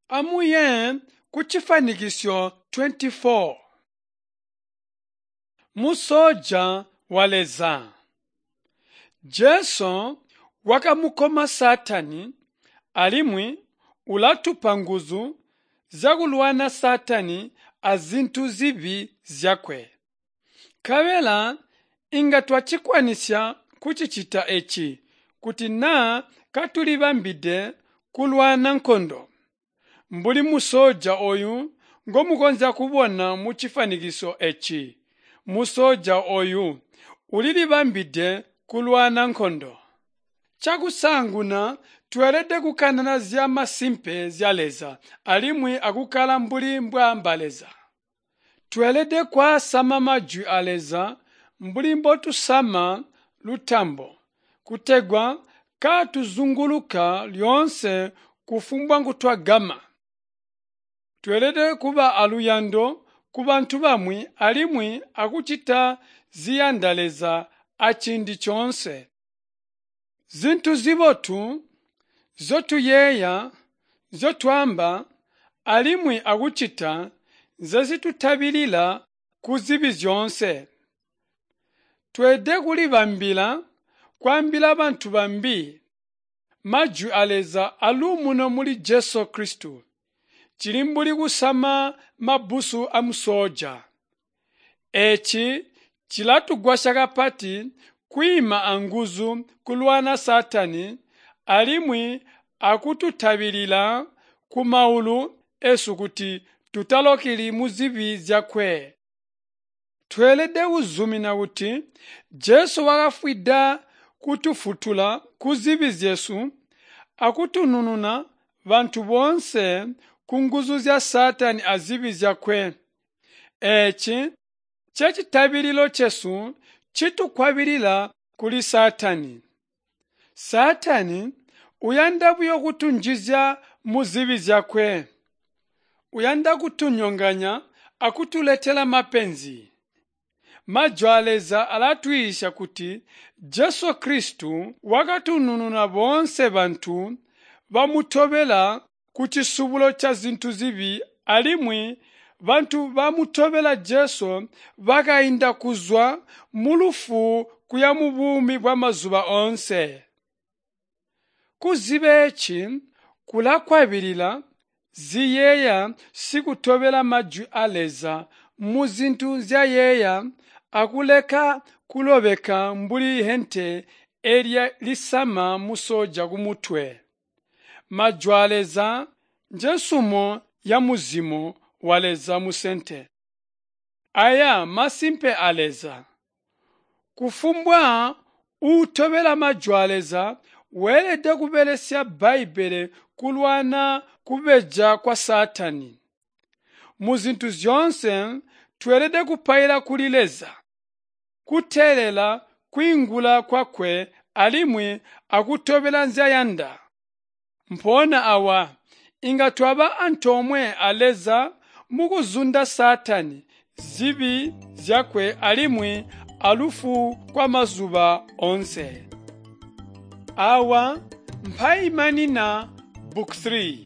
Amuye kucifanikisyo 24. Musoja wa Leza. Jesu wakamukoma Saatani alimwi ulatupa nguzu zyakulwana Saatani azintu zibi zyakwe. Nkabela inga twacikwanisya kucicita eci kuti naa katulibambide kulwana nkondo. Mbuli musoja oyu ngomukonzya kubona mucifanikiso eci, musoja oyu ulilibambide kulwana nkondo. Chakusaanguna tweelede kukanana zya masimpe zya Leza alimwi akukkala mbuli mbwaamba Leza. Tweelede kwaasama majwi a Leza mbuli mbotusama lutambo, kutegwa kaatuzunguluka lyoonse kufumbwa nkutwagama. Tweelede kuba aluyando kubantu bamwi alimwi akucita ziyanda Leza aciindi coonse. Zintu zibotu nzyotuyeeya, nzyotwaamba alimwi akucita nzezitutabilila kuzibi zyoonse. Tweelede kulibambila kwaambila bantu bambi majwi a Leza aluumuno muli Jesu Kristo. Cili mbuli kusama mabbusu amusooja. Eeci cilatugwasya kapati kwiima anguzu kulwana Saatani alimwi akututabilila kumaulu esu kuti tutalokeli muzibi zyakwe. Tweelede kuzumina kuti Jesu wakafwida kutufwutula kuzibi zyesu akutunununa bantu boonse kunguzu zya Saatani azibi zyakwe. Eeci ncecitabililo cesu citukwabilila kuli Saatani. Saatani uyanda buyo kutunjizya muzibi zyakwe. Uyanda kutunyonganya akutuletela mapenzi. Majwi a Leza alatwiisya kuti Jesu Kristo wakatunununa boonse bantu bamutobela kucisubulo cazintu zibi alimwi bantu bamutobela Jesu bakainda kuzwa mulufu kuya mubuumi bwamazuba oonse. Kuziba eeci kulakwabilila ziyeeya sikutobela majwi a Leza muzintu nzyayeeya akuleka kulobeka mbuli hente elya lisama musoja kumutwe. Majwi a Leza njensumo yamuzimo wa Leza musente. Aya masimpe a Leza. Kufumbwa uutobela majwi a Leza weelede kubelesya Bbaibbele kulwana kubeja kwa Saatani. Muzintu zyoonse tweelede kupaila kuli Leza, kuteelela kwiingula kwakwe alimwi akutobela nzyayanda. Mpoona awa inga twaba antoomwe a Leza mukuzunda Saatani, zibi zyakwe alimwi alufu kwamazuba oonse. Awa mpaimanina Book 3.